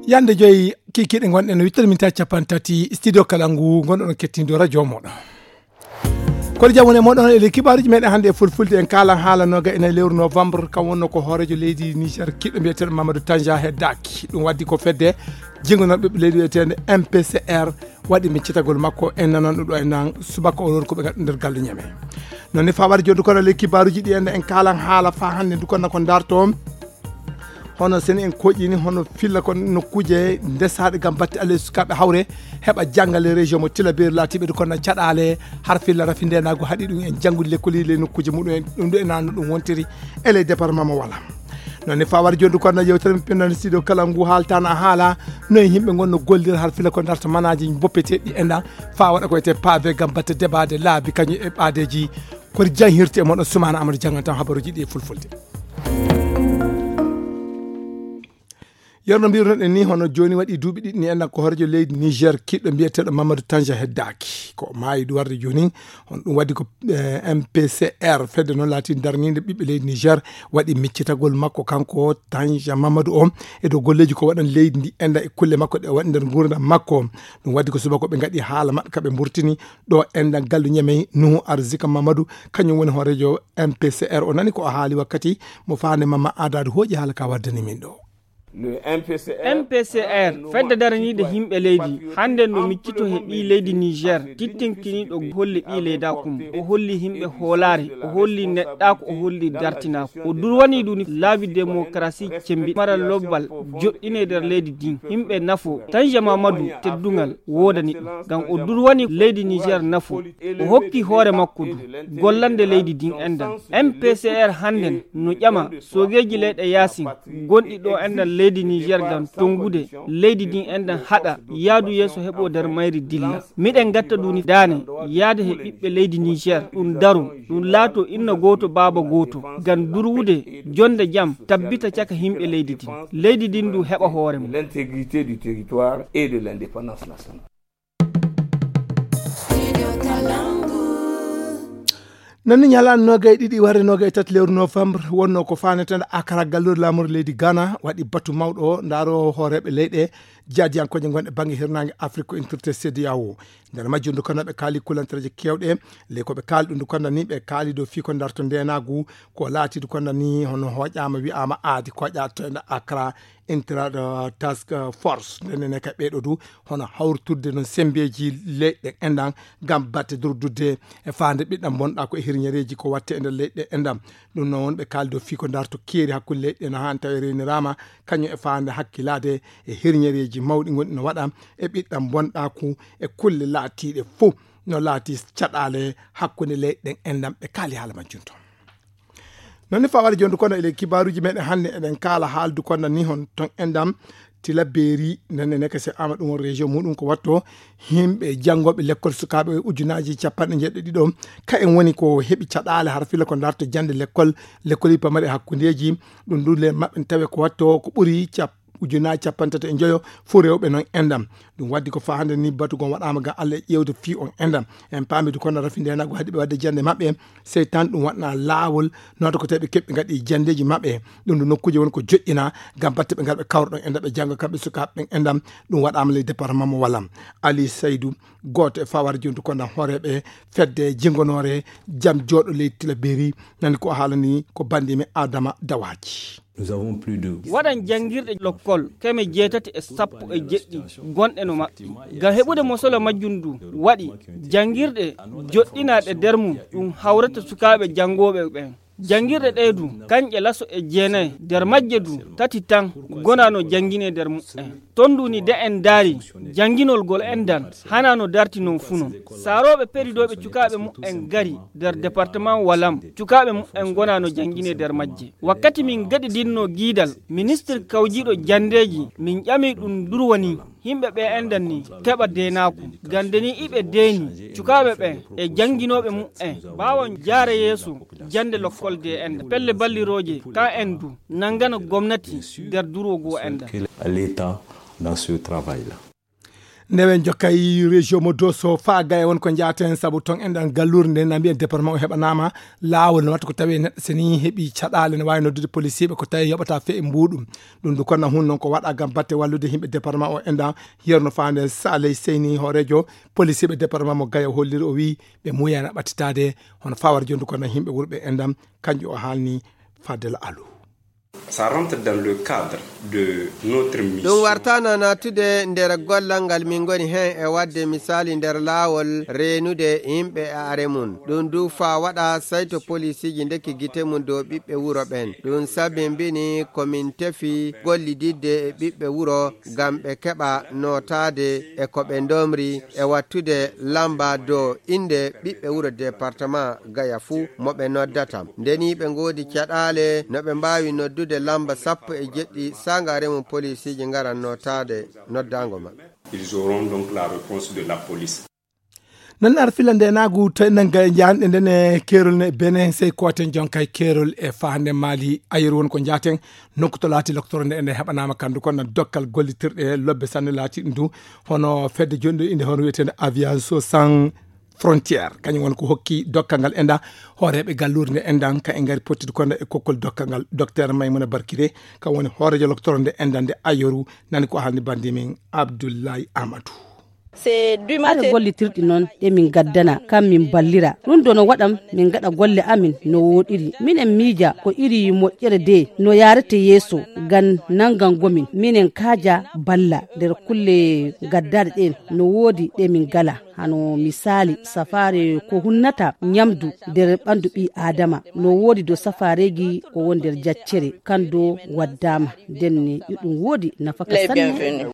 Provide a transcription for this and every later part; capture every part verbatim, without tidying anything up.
Yande joyi kikiɗe gonɗen no wittoɗo min ta capanɗe tati studio kala ngu gonɗo ɗon kettindi radio moɗo. Kono jam woni e moɗon e le kibaruji meɗen hannde e fulfulde en kalan haala noga ina lewru novembre, kam wonno ko hoorejo leydi Niger kiɗɗo mbiyeteɗo Mamadou Tanja heddaki. Ɗum waddi ko fedde jingonor ɓiɓɓe leydi wiyetende M P C R waɗi miccitagol makko. En nanan ɗum ɗo e nan subaka o lori ko ɓe nder galle ñame. Noon ni fawade joddu kono le kibaruji ɗi en en kalan haala fa hannde ndu konna ko darto. Hono sen en koƴƴini hono filla kon nokkuje ndesaɗe gam batte alay sukaaɓe hawre heɓa janggal e région mo Tilaberi laatiɓe ɗo kono caɗale har filla rafi ndenago haɗi ɗum en janngude lekkoli le nokkuje muɗum en ɗum ɗo e nano ɗum wontiri e ley département mo wala. Noon ni fawar jondu kono yewtere mi pinnani studio kala ngu haaltana haala no e yimɓe gonno gollira har filla ko darta manaji boppeteɗi e nda fa waɗa ko ete pavé gam batte deɓade laabi kañum e ɓadeji. Kono jang hirti e moɗon sumana amadou jangan tan habaruji ɗi e fulfulde. Yerno mbirunoɗen ni hono joni waɗi duuɓi ɗiɗi ni enɗan ko hoorejo leydi Niger kiɗɗo mbiyeteɗo Mamadou Tanja heddaki ko maayi ɗum warde joni. Hono ɗum waɗi ko eh, M P C R fedde noon laati darninde ɓiɓɓe leydi Niger waɗi miccitagol makko kanko Tanja Mamadou o e dow golleji ko waɗan leydi ndi enɗan e kulle makko ɗe waɗi nder gurdam makko. Ɗum waɗi ko subaka ɓe gaɗi haala maɓɓe kaɓe mburtini ɗo enɗan gallu ñamey Nuhu Arzika Mamadou kañum woni hoorejo M P C R o nani ko o haali wakkati mo faande mamma adadu hooƴi haala ka waddani min ɗo. M P C R fedde daraniiɗe yimɓe leydi hannde no miccito he ɓii leydi Niger tittinkiniiɗo holle ɓii leydaku mum o holli yimɓe hoolaare o holli neɗɗaako o holli dartinaako o durwanii ɗum laabi démocratie cembi mara lobbal joɗɗine nder leydi ndin yimɓe nafo tanja mamadou teddungal woodani ɗum ngam o durwani leydi Niger nafo o hokki hoore makko du gollande leydi ndin enɗan. M P C R hannden no ƴama soogeeji leyɗe yaasin gonɗi ɗo enɗan leydi Niger ngam tonngude leydi ndin enɗan haɗa yaadu yeeso heɓo nder mayri dilla. Miɗen ngatta duni daane yaade he ɓiɓɓe leydi Niger ɗum daro ɗum laato inna gooto baaba gooto ngam durwude jonnde jam tabbita caka yimɓe leydi ndin leydi ndin du heɓa hoore mum. Nanni ñalaande noogay ɗiɗi warde noogay tati lewru novembre wonno ko faanetende akara gallure laamorde leydi Ghana waɗi batu mawɗo o ndaaro hooreeɓe leyɗe jaadiyankoje gonɗe bannge hirnaange Afrik ko intirte C D A O. Nder majjum ndu kono ɓe kaali kulantereje kewɗe ley ko ɓe kaali ɗum ndu kono ni ɓe kaali dow fii ko ndarto ndenaagu ko laati ndu kono ni hono hooƴaama wi'aama aadi koƴa to enda Accra intra task force ndennene ka ɓeeɗo du hono hawrtudde noon sembeeji leyɗe enɗan ngam batte durdudde e faande ɓiɗɗam bonɗa ko e hirñereeji ko watte e nder leyɗe enɗam. Ɗum noon wonɓe kaaldo fii ko darto keeri hakkunde leyɗe no haan tawi reyniraama kañum e faande hakkilaade e hirñereeji mawɗi gonɗi no waɗa e ɓiɗɗam bonɗaku e kulle laatiiɗe fof no laati caɗaale hakkunde leyɗen enɗam ɓe kaali haala majjum toon. Noon ni fawade jondu kono ele kibaaruji meɗen hannde eɗen kaala haaldu kono ni hon toon enɗam tila beeri nenne neke se ama ɗum on région muɗum ko watto yimɓe janngoɓe lekkol sukaaɓe ujunaaji capanɗe jeeɗiɗo ɗiɗo ka en woni ko heɓi caɗaale har fila ko darto jannde lekkol lekkoli pamare hakkundeeji. Ɗum ɗum le maɓɓe tawe ko watto ko ɓuri cap ujunaaji capanɗe tati e njoyo fof rewɓe noon enɗam. Ɗum waddi ko faa hannde ni batu gon waɗaama ga allah e ƴeewde fii on enɗam. En paami du kono rafi ndenago haɗi ɓe wadde jannde maɓɓe sey tan ɗum waɗna laawol noota ko tawi ɓe keɓɓe ngaɗi janndeeji maɓɓe. Ɗum ɗo nokkuuje woni ko joƴƴina ngam batte ɓe ngar ɓe kawra ɗon enɗam ɓe jannga kamɓe sukaaɓe ɓen enɗam. Ɗum waɗaama ley département mo walam ali saydou gooto e fawar jontu kono hooreeɓe fedde jingonoore jam jooɗo ley tilaberi. Nani ko haalani ko banndimi adama dawaaji. Waɗan janngirɗe lokkol keme jeetati e sappo e jeɗɗi gonɗe no maɓɓe ngam heɓude mosolo majjum ndu waɗi janngirɗe joɗɗinaaɗe nder mum ɗum hawrata sukaaɓe janngooɓe ɓen. Janngirɗe ɗee du kañƴe laso e jeenayi nder majje du tati tan gonano janngine nder mumen. Ton ndu ni de en ndaari jannginol gol enɗan hana no darti non fu non. Saarooɓe peridooɓe cukaaɓe mumen ngari nder département walam cukaaɓe mumen ngonano janngine nder majje. Wakkati min gaɗidinno giidal ministre kawjiiɗo janndeeji min ƴami ɗum ndurwa ni yimɓe ɓe enɗan ni keɓa deenaaku gande ni iɓe deeni cukaaɓe ɓe e jannginooɓe mumen mbaawan jaara yeeso jannde lokkol de enɗan pelle ballirooje ka en du nanngana gomnati nder durwo goo enɗan. L'état dans ce travail là. Ndewen jokkay région mo Dosso faa Gaya won ko njaaten sabu ton enɗan galluure nde na mbiyen département o heɓanaama laawol no watta ko tawi neɗɗo so ni heɓi caɗaale no waawi noddude policier ɓe ko tawi yoɓata fe e mbuuɗum. Ɗum du kono hun noon ko waɗa gam batte wallude yimɓe département o enɗan yerno faande Saley Seyni hooreejo policier ɓe département mo Gaya holliri o wii ɓe muuyana ɓattitaade hono fawar jondu kono yimɓe wurɓe enɗan kanƴum o haalni Fadel Alou. Ça rentre dans le cadre de notre mission. Ɗum wartano natude nder gollal ngal min ngoni heen e waɗde misali nder laawol reenude yimɓe e are mum. Ɗum du faa waɗa sayto polisiji ndekki gite mum dow ɓiɓɓe wuro ɓen. Ɗum sabimbini ko min tefi gollididde e ɓiɓɓe wuro ngam ɓe keɓa nootaade e ko ɓe ndomri e wattude lamba dow innde ɓiɓɓe wuro département Gaya fuu mo ɓe noddata. Ndeni ɓe ngoodi caɗaale no ɓe mbaawi noddude lamba sappo e jeɗɗi sangare mum polisiiji ngaran nootaade noddaango maɓɓe. Ils auront donc la réponse de la police. Nan ar fila nde naagu to enen ga jaanɗe nden e keerol ne Benin sey kooten jonkay keerol e faande Mali ayer won ko njaaten nokku to laati loktoro nde ene heɓanaama kandu kono dokkal gollitirɗe lobbe sanne laati ɗum du hono fedde jonɗo inde hono wiyeteende Aviation Sans Frontière kañum won ko hokki dokkal ngal enda hooreeɓe galluure nde endan ka e ngari pottude kono e kokkol dokkal ngal docteur Maymuna Barkire ka woni hooreejo loktoro nde endan nde ayoru nani ko haalni bandi min Abdoulaye Amadou. Are gollitirɗi noon ɗe min gaddana kam min ballira ɗum do no waɗam min gaɗa golle amin no woɗiri minen miija ko iri moƴƴere de no yarete yeeso gan nangango min minen kaaja balla nder kulle gaddaɗe ɗen no woodi ɗe min gala hano misali safaare ko hunnata ñamdu nder ɓandu ɓi adama no woodi do safaareji ko won nder jaccere kan do waddama ndenne ɗum woodi nafaka sanne.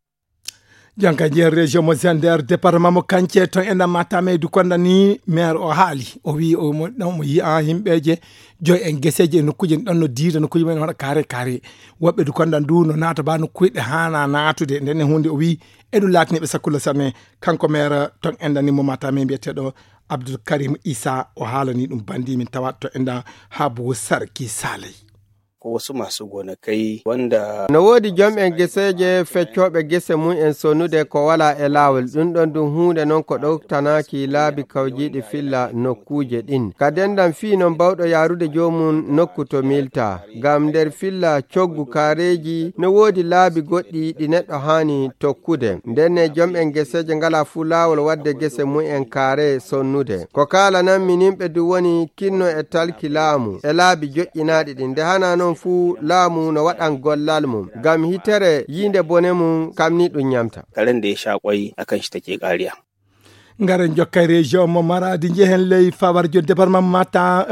Janka njiyan région mo Zander département mo Kance ton ena Matam e du konda ni maire o haali o wi o mo ɗon mo yi'a himɓeje joy en geseje e nokkuji en ɗon no diida nokkuji men hoɗa kare kare woɓɓe du konda ndu no naata ba nokkuji ɗe hana naatude nden e hunde o wi e ɗum laatini ɓe sakkula sanne kanko maire ton enda ni mo Matam e mbiyeteɗo Abdoul Karim Issa o haalani ɗum bandi min tawa to enda Habu Sarki Saleh. Ko wasu masu gonakai wanda no woodi jom'en geseeje feccooɓe gese mum en sonnude ko walaa e laawol ɗum ɗon ɗum huunde noon ko ɗowtanaaki laabi kawjiiɗi filla nokkuuje ɗin ka dendan fii noon bawɗo yaarude joomum nokku to milta ngam nder filla coggu kaareeji no woodi laabi goɗɗi ɗi neɗɗo haani tokkude ndenne jom'en geseeje ngalaa fuu laawol waɗde gese mum en kaare sonnude ko kaalananmi nimɓe du woni kinno e talki laamu e laabi joƴƴinaaɗi ɗin nde hana noon fuu laamu no waɗan gollal mum ngam hitere yiinde bone mum kam ni ɗum ñamta. Karen da ya sha kwai akan shi take kariya. Ngaren jokkay région mo maradi njehen ley fawarjo département mata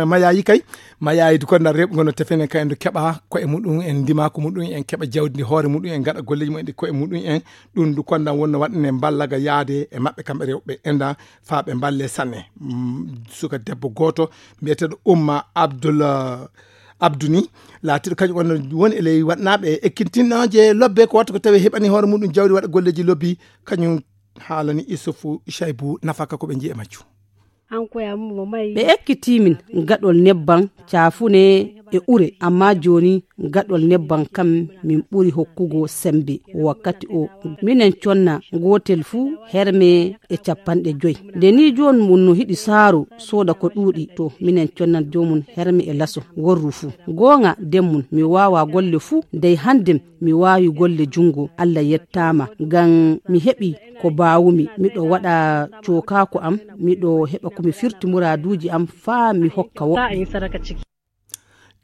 mayayi kay mayayi du ko ndar reɓgo no tefene kay ndu keɓa ko e muɗum en ndima ko muɗum en keɓa jawdi ndi hoore muɗum en gaɗa golleji mumen ɗi ko e muɗum en ɗum du kondan wonno waɗane mballaga yaade e maɓɓe kamɓe rewɓe enda faa ɓe mballe sanne suka debbo gooto mbiyeteeɗo Umma Abdul Abdu ni laatiiɗo kañum on woni e ley waɗnaaɓe e ekkintinooje lobbe ko watta ko tawi heɓani hoore muɗum jawdi waɗa golleeji lobbi kañum haalani Isufu Caybu nafaka ko ɓe njiye majju. Ɓe ekkitii min gaɗol nebban caafune e ure amma jooni gaɗol nebban kam min ɓuri hokkugo sembe wakkati o minen conna gootel fuu herme e capanɗe joy nde ni jooni mum no hiɗi saaru sooda ko ɗuuɗi to minen connan joomum herme e laso worru fuu goonga den mum mi waawa golle fuu dey hande mi waawi golle junngo Allah yettaama ngam mi heɓi ko baawumi miɗo waɗa cookaaku am miɗo heɓa ko mi firti muraaduuji am faa mi hokka woɓɓe.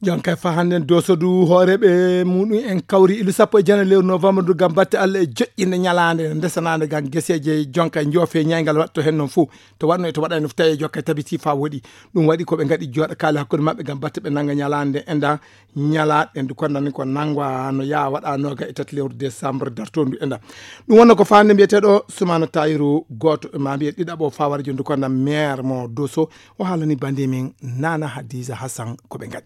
Jonkay fa hannden dosodu hooreeɓe muɗum en kawri ilu sappo e jana lewru novembre ndu ngam batte Allah e joƴƴinde ñalaande ndesanaande ngam geseeje jonkay njoofe ñayngal waɗto heen noon fof to waɗno e to waɗani fof tawi e jokkay tabiti fa woɗi ɗum waɗi ko ɓe ngaɗi jooɗa kaali hakkunde maɓɓe ngam batte ɓe nannga ñalaande enda ñalaaɗe ndu konnani ko nanngo no yaha waɗa noga e tati lewru décembre dartondu enda ɗum wonno ko faande mbiyeteeɗo Soumana Tayiru gooto ma mbiye ɗiɗaɓo fawara jondu konda maire mo Dosso o haalani bande min Nana Hadiza Hassan ko ɓe ngaɗi.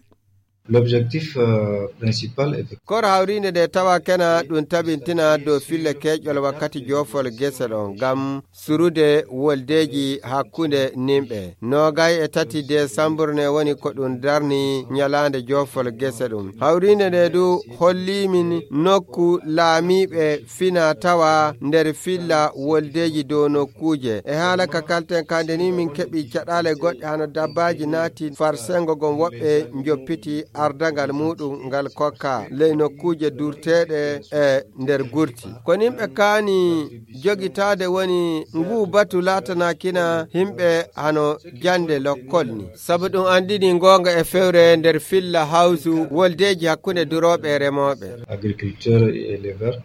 L'objectif, euh, principal, effectivement. Kor hawriinde nde tawa kena ɗum tabintina dow fille keƴol wakkati joofol gese ɗon ngam surude woldeeji hakkunde nimɓe. Noogay e tati desambur ne woni ko ɗum darni ñalaande joofol gese ɗum. Hawriinde nde du holli min nokku laamiiɓe fina tawa nder filla woldeeji dow nokkuuje. E haala ka kalten kande ni min keɓi caɗaale goɗɗe hano dabbaaji naati far sengo gon woɓɓe njoppiti ardangal muɗum ngal kokka ley nokkuuje durteeɗe e nder gurti. Ko nimɓe kaani jogitaade woni nguu batu laatanakina himɓe hano jannde lokkol ni. Sabu ɗum anndini ngoonga e fewre nder filla hawsu woldeeji hakkunde durooɓe e remooɓe. Agriculteur et éleveur.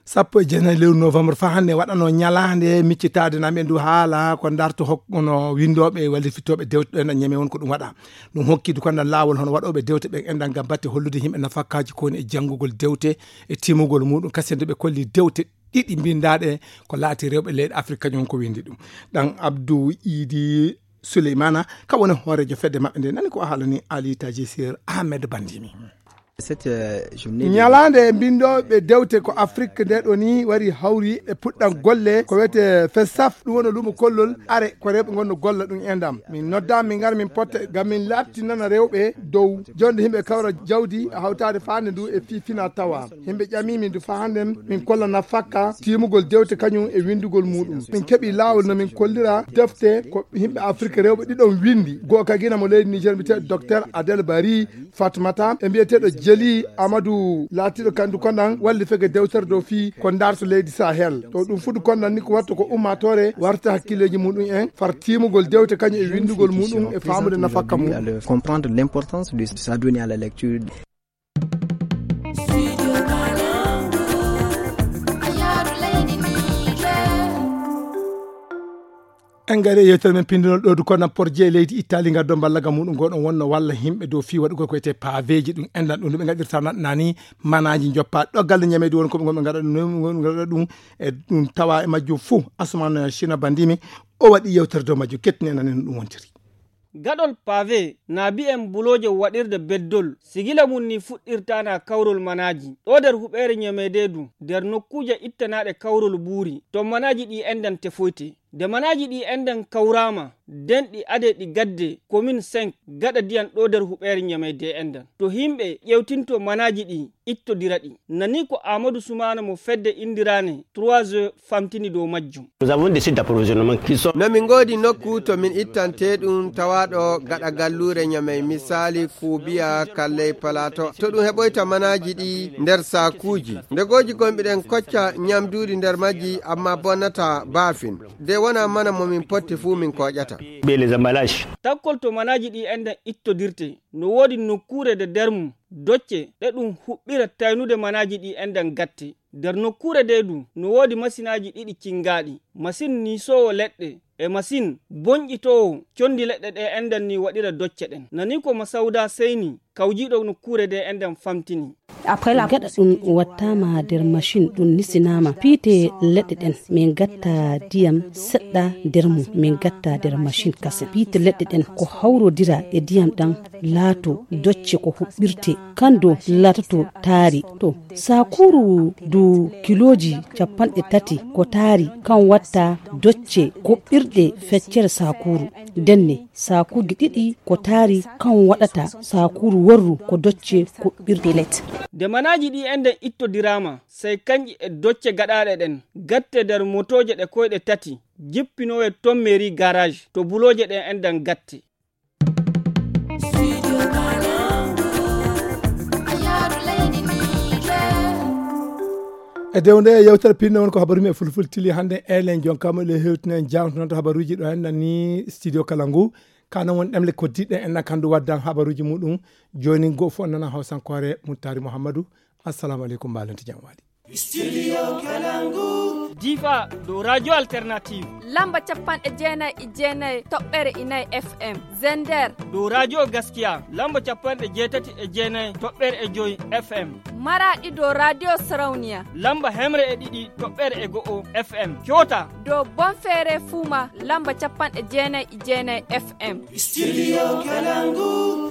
Sappo e jeenayi lewru novembre faa hannde waɗano ñalaande miccitaade nam e ndu haala ko ndarto hokkono winndooɓe walla fittooɓe dewte ɗo en ñame won ko ɗum waɗa. Ɗum hokki du konndal laawol hono waɗooɓe dewte ɓen enɗan ngam batte hollude yimɓe nafakkaaji ko woni e janngugol dewte e timugol muɗum. Kasen du ɓe kolli dewte ɗiɗi mbinndaaɗe ko laati rewɓe leyɗe Afrik kañum ko winndi ɗum. Ɗan Abdou Idi Souleymana ka woni hooreejo fedde maɓɓe nde nani ko haalani Ali Tajisir Ahmed Bandimi. Cette, euh, journée de- Ñalaande mbinndooɓe dewte ko Afrik nde ɗo ni wari hawri e puɗɗan golle ko wiyetee fesaf, ɗum woni lumo kollol are ko rewɓe ngonno golla ɗum enɗam. Min nodda min ngar min potta ngam min laattinana rewɓe dow jonde yimɓe kawra jawdi hawtaade faande ndu e fii fina tawa. Yimɓe ƴami min du faa hannde min kolla nafakka timugol dewte kañum e winndugol muɗum. Min keɓi laawol no min kollira defte ko yimɓe Afrik rewɓe ɗiɗon winndi. Goo ka Gine mo leydi Niger mbiyetee Docteur Adel Bari Fatmata e mbiyeteeɗo Jeli Amadou laatiiɗo kandu kondan walli fege dewtere dow fii ko ndarto leydi Sahel. To ɗum fuɗi kondan ni ko watta ko ummaatoore warta hakkilleeji muɗum en far timugol dewte kañum e winndugol muɗum e faamude nafakka muɗum. Comprendre l'importance de s'adonner à la lecture. En ngari e yewtere men pindunol ɗo du kono porje e leydi Italie ngar do mballaga muɗum goɗon wonno walla himɓe dow fii waɗugol ko wiyetee paveji ɗum enɗan ɗum ɗo ɓe ngaɗirta na- nani manaji joppa ɗo galle ñameji won ko ɓe gonɓe ngaɗa ɗum e ɗum tawa e majjum fuu. Asuman China Bandimi o waɗi yewtere dow majjum kettinen nanen no ɗum wontiri. Gaɗol pavé na bi'en bulooje waɗirde beddol, sigila mum ni fuɗɗirtaana kawrol manaaji. Ɗo nder huɓeere ñameedeedu, nder nokkuuje ittanaaɗe kawrol buuri, to manaaji ɗi enɗan tefoyte. Nde manaaji ɗi enɗan kawraama, nden ɗi adee ɗi gadde, komin cinq gaɗa diyan ɗo nder huɓeere ñameede enɗan. To himɓe ƴewtinto manaaji ɗi, ittodira ɗi. Nani ko Amadou Soumana mo fedde indiraane trois E famtini dow majjum. Nous avons des sites d'approvisionnement qui sont No min ngoodi nokku to min ittante ɗum tawaaɗo gaɗa galluure ñamey, misaali Kuubiya, Kalley Palaato. To ɗum heɓoyta manaaji ɗi nder saakuuji. Ndegooji gonɓiɗen kocca ñamduuɗi nder majji, amma bonnata baafin. De wona mana mo min potti fuu min kooƴata. Be les emballages. Takkol to manaaji ɗi enɗan ittodirte. No woodi nokkuure de nder mum docce ɗe ɗum huɓɓira taynude manaaji ɗi enɗan gatte. Nder nokkuure de du, no woodi masinaaji ɗiɗi cingaaɗi, masin niisoowo leɗɗe e masin bonƴitoowo condi leɗɗe ɗe enɗan ni waɗira docce ɗen. Nani ko Masawda Seyni, kawjiiɗo nokkuure de enɗan famtini. Gaɗa ɗum wattaama nder macin, ɗum nisinaama. Piite leɗɗe ɗen, min gatta diyam seɗɗa nder mum, min gatta nder macin kasen. Piite leɗɗe ɗen ko hawrodira e diyam ɗan laato docce ko huɓɓirte. Kan do laatoto taari. To, saakuru du kilooji capanɗe tati ko taari, kan watta docce koɓɓirɗe feccere saakuru. Denne, saakuuji ɗiɗi ko taari, kan waɗata saakuru worru ko docce koɓɓirɗe. Nde manaaji ɗi enɗan ittodiraama, sey kanƴi e docce gaɗaaɗe ɗen gatte nder motooje ɗe koyɗe tati, jippinoowe ton mairie garage, to bulooje ɗen enɗan gatte. E dewnde e yewtere pinno won ko habaru mi e fulful tili hannde elen jonkama le hewtinen jangtonoto habaruji ɗo hen nanni studio kala ngu. Kana won ɗemle koddiɗe en nakandu waddan habaruji muɗum. Joni go fo nana hawsankore Muntari Muhammadu. Assalamu alaikum, mbalenti jam wali. Studio Kalangu. Difa, dow Radio Alternative. Lamba capanɗe jeenayi e jeenayi toɓɓere inayi F M. Zender. Dow Radio Gaskiya, lamba capanɗe jeetati e jeenayi toɓɓere e joyi F M. Maraɗi, dow Radio Sarauniya. Lamba hemre e ɗiɗi toɓɓere e go'o F M. Kyota. Dow Bonfere Fuma, lamba capanɗe jeenayi e jeenayi F M. Studio Kalangu.